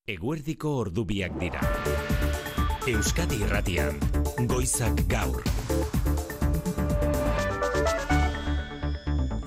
Eguerdiko ordubiak dira. Euskadi Irratian, Goizak Gaur.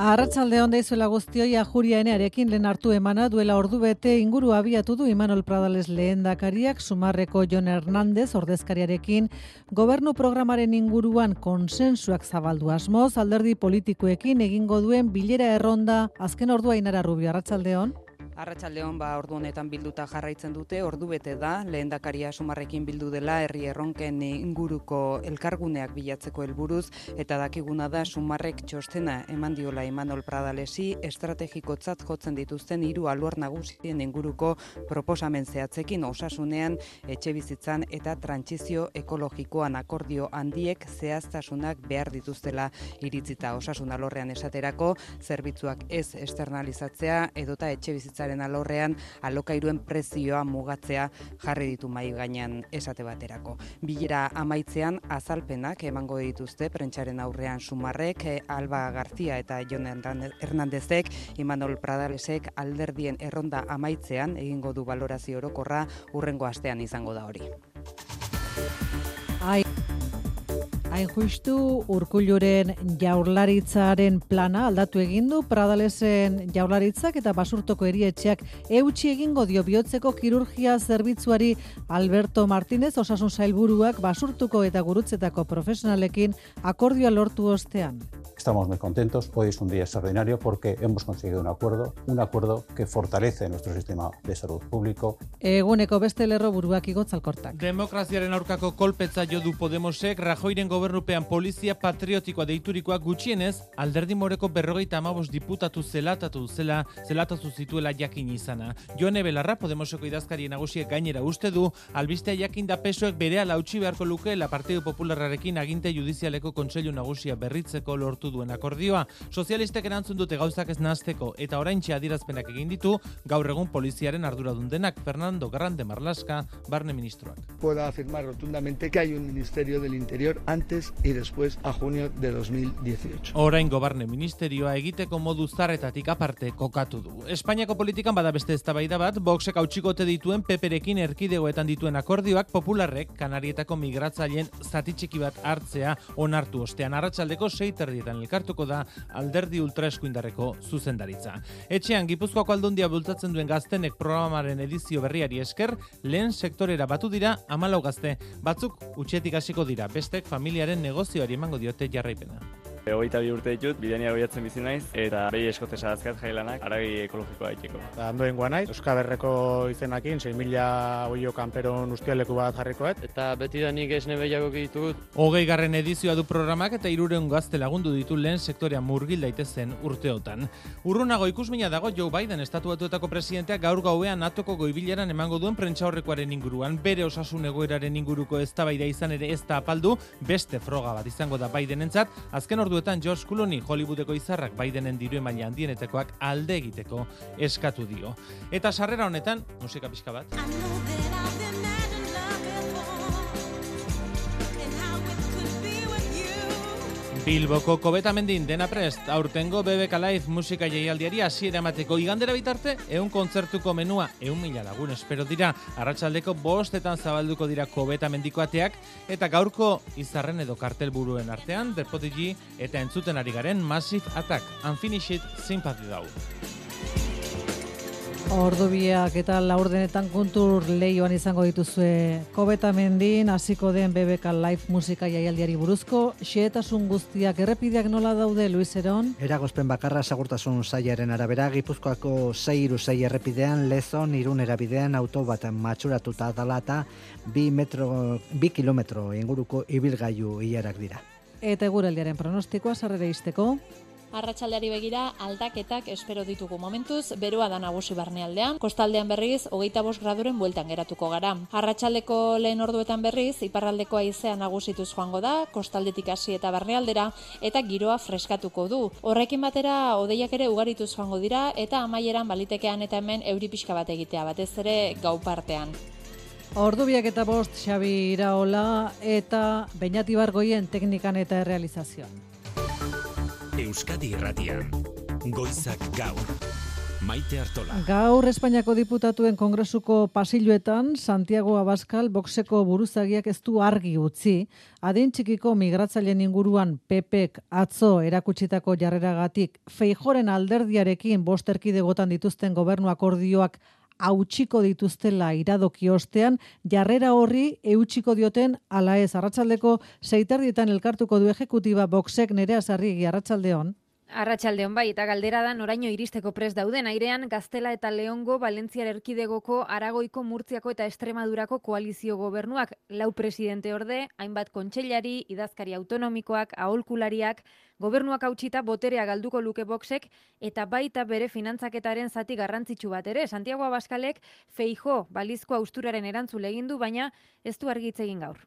Arratsalde on deizuela guztioi, Ajuria Enearekin lehen hartu emana duela ordubete inguru abiatu du Imanol Pradales lehendakariak Sumarreko Jon Hernández ordezkariarekin gobernu programaren inguruan konsensuak zabaldu asmoz, alderdi politikoekin egingo duen bilera erronda azken ordua. Ainara Rubio, arratsalde on. Arratsaldeon, ordu honetan bilduta jarraitzen dute, ordubete da, lehendakaria Sumarrekin bildu dela herri erronken inguruko elkarguneak bilatzeko helburuz, eta dakiguna da Sumarrek txostena eman diola Imanol Pradalesi, estrategikotzat jotzen dituzten 3 alor nagusien inguruko proposamen zehatzekin, osasunean, etxebizitzan eta trantsizio ekologikoan akordio handiek zehaztasunak behar dituztela iritzita. Osasun alorrean esaterako, zerbitzuak ez externalizatzea edota etxebizitzaren alorrean alokairuen prezioa mugatzea jarri ditu mahai gainean esate baterako. Bilera amaitzean azalpenak emango dituzte prentsaren aurrean Sumarrek, Alba García eta Jon Hernándezek, Imanol Pradalesek alderdien erronda amaitzean egingo du balorazio orokorra, hurrengo astean izango da hori. Hain justu, Urkulluren jaurlaritzaren plana aldatu egin du Pradalesen jaurlaritzak eta Basurtoko erietxeak eutsi egingo dio bihotzeko kirurgia zerbitzuari. Alberto Martínez, osasun sailburuak Basurtuko eta Gurutzetako profesionalekin akordioa lortu ostean. Estamos muy contentos, hoy es un día extraordinario porque hemos conseguido un acuerdo que fortalece nuestro sistema de salud público. Eguneko beste lerroburuak Igotzalkortak. Demokraziaren aurkako kolpetza jo du Podemosek, Rajoyren gobernupean polizia patriotikoa deiturikoa gutxienez, alderdi moreko 55 diputatu zelatatu zituela jakin izana. Jone Belarra, Podemoseko idazkari nagusiek gainera uste du, albistea jakinda PSOek berehala utzi beharko lukeela Partidu Popularrarekin aginte judizialeko kontseilu nagusia berritzeko lortu duen akordioa. Sozialistek erantzun dute gauzak ez nahasteko eta oraintxe adierazpenak egin ditu gaur egun poliziaren arduradun denak, Fernando Grande Marlaska, barne ministroak. Puedo afirmar rotundamente que hay un Ministerio del Interior antes y después a junio de 2018. Oraingo barne ministerioa egiteko modu zarretatik aparte kokatu du. Espainiako politikan bada beste eztabaida bat, Voxek hautsikote dituen PPrekin erkidegoetan dituen akordioak Popularrek Kanarietako migratzaileen zati txiki bat hartzea onartu ostean. Arratsaldeko 6:30 elkartuko da alderdi ultraeskuindarreko zuzendaritza. Etxean Gipuzkoako Aldundia bultzatzen duen Gaztenek programaren edizio berriari esker, lehen sektorera batu dira 14 gazte. Batzuk utxetik hasiko dira, bestek familiaren negozioari emango diote jarraipena. 22 urte ditut, bidenia goiatzen bizi naiz, eta behi eskotesa azkat jailanak, aragi ekologikoa daiteko. Andoen goa naiz, Euskaberreko izenakin, 6.000 oio kanperon ustialeku bat jarrikoet. Eta beti da nik esne behiago ditut. 20. edizioa du programak eta 300 gazte lagundu ditu lehen sektorea murgil daitezen urteotan. Urrunago ikusmina dago Joe Biden, Estatu Batuetako presidenteak gaur gauean NATOko goibileran emango duen prentsaurrekoaren inguruan, bere osasun egoeraren inguruko eztabaida izan ere ez da apaldu, beste froga bat izango da Bidenentzat, azken orduetan George Clooney, Hollywoodeko izarrak Bidenen diru emaila handienetekoak alde egiteko eskatu dio. Eta sarrera honetan, musika pixka bat. Bilboko Kobetamendin dena prest, aurtengo BBK Live musika jaialdiari hasiera emateko igandera bitarte, 100 kontzertuko menua, 100.000 lagun espero dira, arratsaldeko 5:00 zabalduko dira Kobetamendiko ateak, eta gaurko izarren edo kartelburuen artean, The Prodigy eta entzuten ari garen Massive Attack, Unfinished Sympathy dau. Ordubiak eta laurdenetan kuntur lehioan izango dituzue Kobetamendin hasiko den BBK Live musika jaialdiari buruzko xehetasun guztiak errepideak nola daude, Luis Eron? Eragozpen bakarra segurtasun sailaren arabera, Gipuzkoako 636 errepidean Lezon Irun erabidean auto bat matxuratuta dela eta 2 kilometro inguruko ibilgailu ilarak dira. Eta eguraldiaren pronostikoa sarrera izteko? Arratsaldeari begira aldaketak espero ditugu momentuz, beroa da nagusi barnealdean, kostaldean berriz 25 graduren bueltan geratuko gara. Arratsaldeko lehen orduetan berriz iparraldeko haizea nagusituz joango da, kostaldetik hasi eta barnealdera eta giroa freskatuko du. Horrekin batera hodeiak ere ugarituz joango dira eta amaieran balitekean eta hemen euri pixka bat egitea, batez ere gau partean. Ordubiak eta 5, Xabi Iraola eta Beñat Ibargoien teknikan eta errealizazioan. Euskadi Irratian, Goizak Gaur. Maite Artola. Gaur Espainiako diputatuen kongresuko pasilloetan Santiago Abascal Voxeko buruzagiak ez du argi utzi. Adin txikiko migratzaileen inguruan PPek atzo erakutsitako jarreragatik Feijóoren alderdiarekin 5 erkidegotan dituzten gobernu akordioak hautsiko dituztela iradoki ostean, jarrera horri eutsiko dioten ala ez. Arratsaldeko 6:30 elkartuko du ejekutiba Voxek. Nerea Sarrigi, arratsaldeon. Arratsaldeon bai, eta galdera da noraino iristeko prest dauden airean Gaztela eta Leongo, Valentziar erkidegoko, Aragoiko, Murtziako eta Extremadurako koalizio gobernuak, 4 presidente orde, hainbat kontseilari, idazkari autonomikoak, aholkulariak, gobernuak hautsita boterea galduko luke Voxek eta baita bere finantzaketaren zati garrantzitsu bat ere. Santiago Abascalek Feijóo balizko austuraren erantzule egin du, baina ez du argi hitz egin gaur.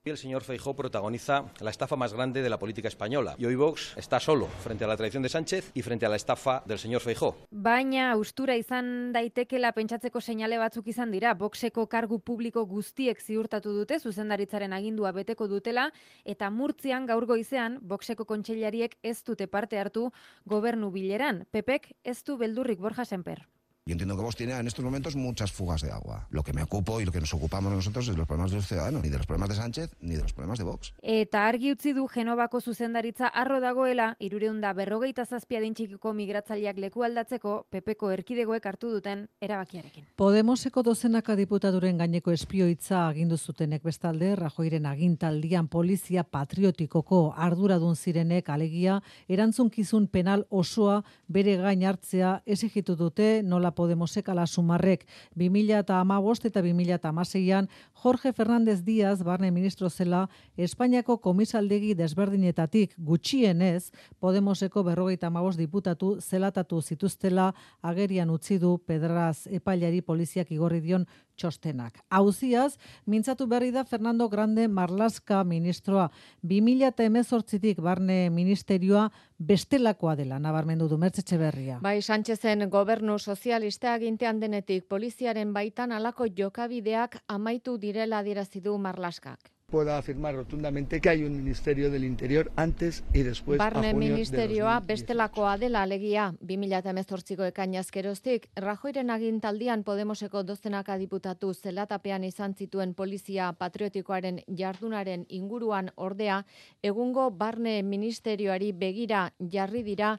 El señor Feijóo protagoniza la estafa más grande de la política española y hoy Vox está solo frente a la traición de Sánchez y frente a la estafa del señor Feijóo. Baina austura izan daitekela pentsatzeko seinale batzuk izan dira. Voxeko kargu publiko guztiek ziurtatu dute zuzendaritzaren agindua beteko dutela eta Murtzian gaur goizean Voxeko kontseilariek ez dute parte hartu gobernu bileran. PPek ez du beldurrik, Borja Semper. Yo entiendo que Vox tiene en estos momentos muchas fugas de agua. Lo que me ocupo y lo que nos ocupamos nosotros es de los problemas de los ciudadanos, ni de los problemas de Sánchez, ni de los problemas de Vox. Eta argi utzi du Genovako zuzendaritza harro dagoela, 357 adin txikiko migratzaileak leku aldatzeko PPko erkidegoek hartu duten erabakiarekin. Podemoseko dozenaka diputaturen gaineko espioitza agindu zutenek bestalde, Rajoyren agintaldian polizia patriotikoko arduradun zirenek alegia erantzunkizun penal osoa bere gain hartzea exigitu dute. Nola Podemosek ala Sumarrek 2015 eta 2016an Jorge Fernández Díaz barne ministro zela Espainiako komisaldegi desberdinetatik gutxienez Podemoseko 55 diputatu zelatatu zituztela agerian utzi du Pedraz epailari poliziak igorri dion txostenak. Auziaz, mintzatu berri da Fernando Grande Marlaska ministroa 2018tik barne ministerioa bestelakoa dela, nabarmendu du Mertxe Etxeberria. Bai, Sánchezen gobernu sozialista agintean denetik poliziaren baitan halako jokabideak amaitu direla adierazi du Marlaskak. Puedo afirmar rotundamente que hay un Ministerio del Interior antes y después Barne a junio ministerioa de 2018. bestelakoa dela alegia 2018ko ekainaz geroztik Rajoyren agintaldian Podemoseko dozenaka diputatu zelatapean izan zituen polizia patriotikoaren jardunaren inguruan ordea egungo barne ministerioari begira jarri dira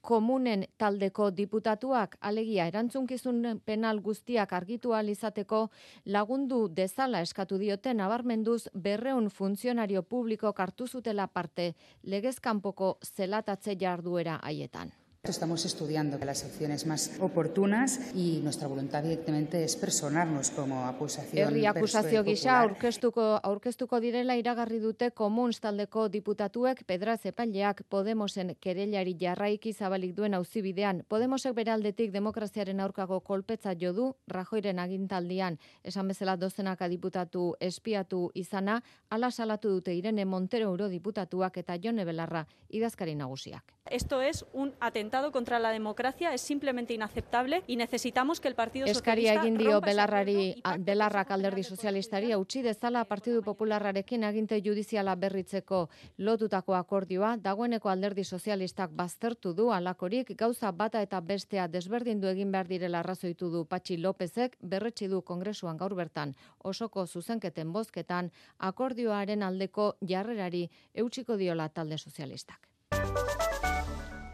komunen taldeko diputatuak, alegia erantzunkizun penal guztiak argitu ahal izateko lagundu dezala eskatu diote nabarmenduz 200 funtzionario publiko hartu zutela parte legezkanpoko zelatatze jarduera haietan. Estamos estudiando las acciones más oportunas y nuestra voluntad evidentemente es personarnos como acusación. Herri akusazio gisa aurkeztuko direla iragarri dute Komuns taldeko diputatuek Pedraz epaileak Podemosen kereilari jarraiki zabalik duen auzibidean. Podemosek bere aldetik demokraziaren aurkako kolpetza jo du Rajoyren agintaldian. Esan bezala dozenaka diputatu espiatu izana, hala salatu dute Irene Montero eurodiputatuak eta Jone Belarra idazkari nagusiak. Esto es un atentado contra la democracia, es simplemente inaceptable y necesitamos que el Partido Socialista Eskaria egin dio Belarrak alderdi sozialistari utzi dezala Partidu Popularrarekin aginte judiziala berritzeko lotutako akordioa, dagoeneko alderdi sozialistak baztertu du alakorik gauza bata eta bestea desberdindu egin behar direla arrazoitu du Patxi Lópezek, berretsi du Kongresuan gaur bertan osoko zuzenketen bozketan akordioaren aldeko jarrerari eutsiko diola talde sozialistak.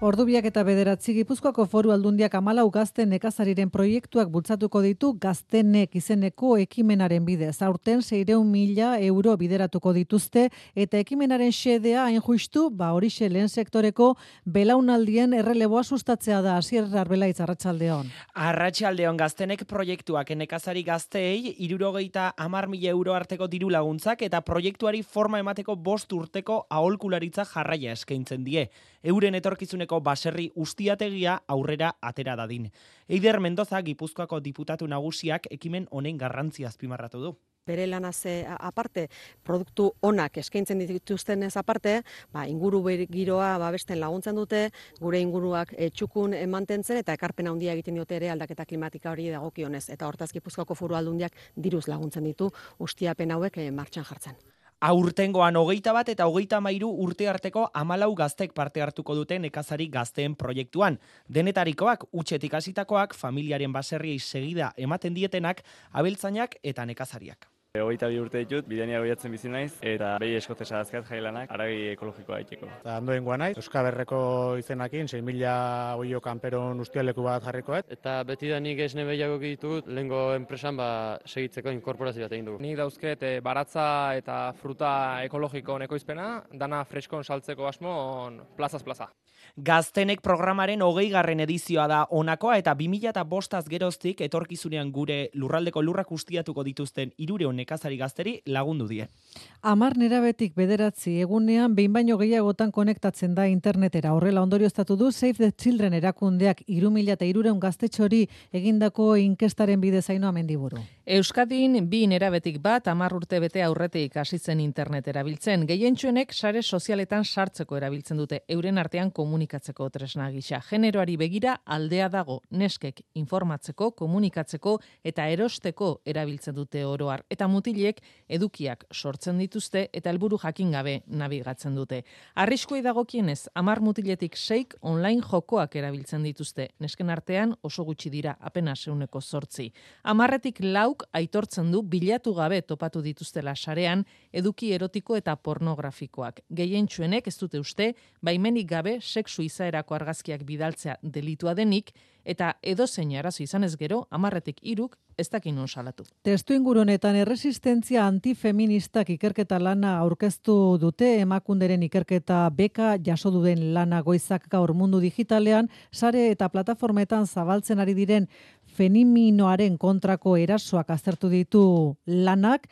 Ordubiak eta 9 Gipuzkoako Foru Aldundiak 14 gazte nekazariren proiektuak bultzatuko ditu Gaztenek izeneko ekimenaren bidez. Aurten 600.000 euro bideratuko dituzte eta ekimenaren xedea hain justu, horixe lehen sektoreko belaunaldien erreleboa sustatzea da. Asier Arbelaitz, arratsaldeon. Arratsaldeon, Gaztenek proiektuak nekazari gazteei 70.000 euro arteko diru laguntzak eta proiektuari forma emateko 5 urteko aholkularitza jarraia eskaintzen die. Euren etorkizuneko baserri ustiategia aurrera atera dadin. Eider Mendoza, Gipuzkoako diputatu nagusiak ekimen honen garrantzia azpimarratu du. Bere lanaz aparte, produktu onak eskaintzen dituztenez aparte, inguru giroa babesten laguntzen dute, gure inguruak txukun mantentzen eta ekarpen handia egiten diote ere aldaketa klimatika hori dagokionez. Eta hortaz Gipuzkoako Foru Aldundiak diruz laguntzen ditu ustiapen hauek martxan jartzen. Aurtengoan 21 eta 33 urte arteko 14 gaztek parte hartuko dute nekazari gazteen proiektuan. Denetarikoak, utxetik hasitakoak, familiaren baserriei segida ematen dietenak, abeltzainak eta nekazariak. 22 urte ditut, Bidania goiatzen bizi naiz, eta behi eskotesa azkat jailanak, aragi ekologikoa egiteko. Andoengoa naiz, Euskaberreko izenakin, 6.000 oio kanperon ustialeku bat jarrikoet. Eta betidanik esne behiago ditut, lehengo enpresan segitzeko inkorporazio bat egin dugu. Nik dauzket baratza eta fruta ekologiko ekoizpena, dana freskon saltzeko asmo plazaz plaza. Gaztenek programaren 20. edizioa da honakoa eta 2005 geroztik etorkizunean gure lurraldeko lurrak ustiatuko dituzten 300 nekazari gazteri lagundu die. 10 nerabetik 9 egunean behin baino gehiagotan konektatzen da internetera. Horrela ondorioztatu du Save the Children erakundeak 3.300 gaztetxori egindako inkestaren bidez Ainhoa Mendiburu. Euskadin 2 nerabetik bat 10 urte bete aurretik hasi zen internet erabiltzen. Gehientsuenek sare sozialetan sartzeko erabiltzen dute euren artean komunikatzeko tresna gisa. Generoari begira aldea dago, neskek informatzeko, komunikatzeko eta erosteko erabiltzen dute oro har. Eta mutilek edukiak sortzen dituzte eta helburu jakin gabe nabigatzen dute. Arriskuei dagokienez 10 mutiletik 6 online jokoak erabiltzen dituzte. Nesken artean oso gutxi dira, apenas 8%. 10etik 4 aitortzen du bilatu gabe topatu dituztela sarean eduki erotiko eta pornografikoak. Gehientsuenek ez dute uste baimenik gabe sexu izaerako argazkiak bidaltzea delitua denik eta edozein arazo izanez gero 10etik 3 ez dakin non salatu. Testu ingurunetan erresistentzia antifeministak ikerketa lana aurkeztu dute Emakunderen ikerketa beka jaso duen lana goizak gaur mundu digitalean sare eta plataformetan zabaltzen ari diren femininoaren kontrako erasoak aztertu ditu lanak,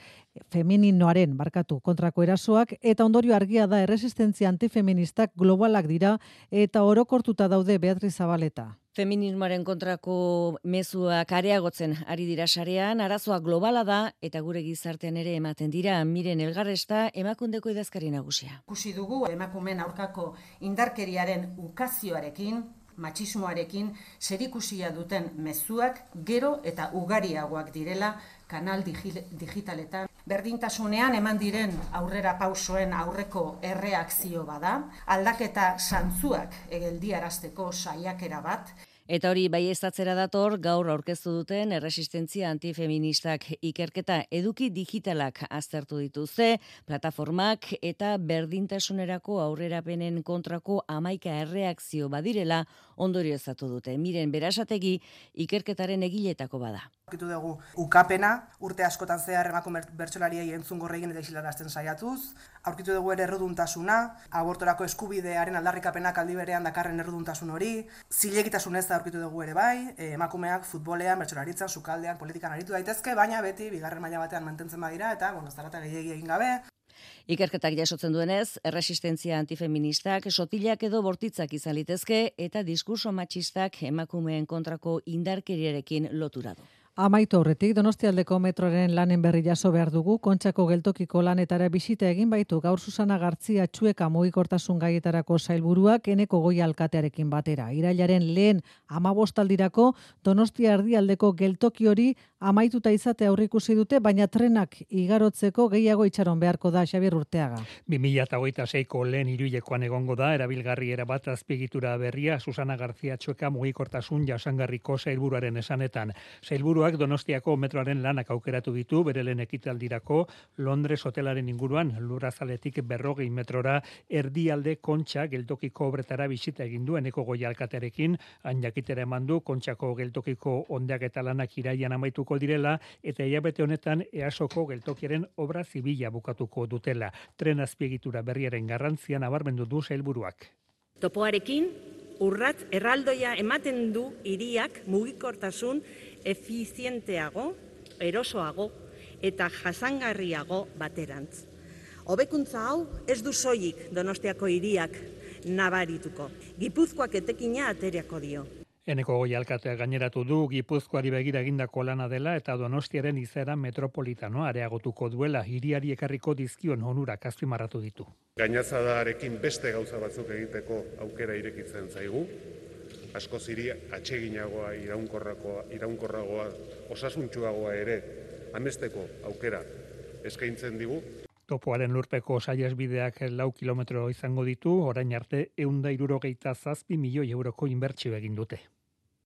femininoaren kontrako erasoak eta ondorio argia da erresistentzia antifeministak globalak dira eta orokortuta daude Beatriz Zabaleta. Feminismoaren kontrako mezuak areagotzen ari dira sarean, arazoa globala da eta gure gizartean ere ematen dira. Miren Elgarresta, Emakundeko idazkari nagusia. Ikusi dugu emakumeen aurkako indarkeriaren ukazioarekin, matxismoarekin zerikusia duten mezuak gero eta ugariagoak direla kanal digitaletan. Berdintasunean eman diren aurrera pausoen aurreko erreakzio bada, aldaketa zantzuak geldiarazteko saiakera bat. Eta hori baieztatzera dator gaur aurkeztu duten erresistentzia antifeministak ikerketa eduki digitalak aztertu dituzte, plataformak eta berdintasunerako aurrerapenen kontrako 11 erreakzio badirela ondorioztatu dute. Miren Berasategi ikerketaren egiletako bada. Aurkitu dugu ukapena, urte askotan zehar emakume bertsolariei entzungor egin eta isilarazten saiatuz. Aurkitu dugu ere erruduntasuna, abortorako eskubidearen aldarrikapenak aldi berean dakarren erruduntasun hori. Zilegitasunez aurkitu dugu ere bai, emakumeak futbolean, bertsolaritzan, sukaldean, politikan aritu daitezke, baina beti bigarren maila batean mantentzen badira eta zarata gehiegi egin gabe. Ikerketak jasotzen duenez, erresistentzia antifeministak sotilak edo bortitzak izan litezke eta diskurso matxistak emakumeen kontrako indarkeriarekin lotura du. Amaitu aurretik, Donostialdeko metroaren lanen berri jaso behar dugu, Kontxako geltokiko lanetara bisita egin baitu gaur Susana Gartzia Txueka mugikortasun gaietarako sailburuak Eneko Goi alkatearekin batera. Irailaren lehen 15 Donostia erdialdeko geltoki hori amaituta izate aurreikusi dute, baina trenak igarotzeko gehiago itxaron beharko da Xabier Urteaga. 2026ko lehen hiruilekoan egongo da erabilgarri erabat azpiegitura berria Susana Gartzia Txueka mugikortasun jasangarriko sailburuaren esanetan. Sailburuak Donostiako metroaren lanak aukeratu ditu bere lehen ekitaldirako Londres hotelaren inguruan Lurrazaletik 40 metrora erdialde Kontxa geltokiko obretara bisita egin du Eneko Goi alkatearekin, han jakitera eman du Kontxako geltokiko ondaketa lanak irailean amaituko direla eta hilabete honetan EASoko geltokiaren obra zibila bukatuko dutela. Tren azpiegitura berriaren garrantzia nabarmendu du sailburuak. Topoarekin urratz erraldoia ematen du hiriak mugikortasun efizienteago, erosoago eta jasangarriago baterantz. Hobekuntza hau ez du soilik Donostiako hiriak nabarituko. Gipuzkoak etekina ateriako dio. Eneko Goi alkateak gaineratu du Gipuzkoari begira egindako lana dela eta Donostiaren izaera metropolitanoa areagotuko duela hiriari ekarriko dizkion onurak azpimarratu ditu. Gainazadarekin beste gauza batzuk egiteko aukera irekitzen zaigu. Askoz hiri atseginagoa, iraunkorragoa, osasuntsuagoa ere amesteko aukera eskaintzen digu. Topoaren lurpeko saihesbideak 4 kilometro izango ditu, orain arte 167 milioi euroko inbertsio egin dute.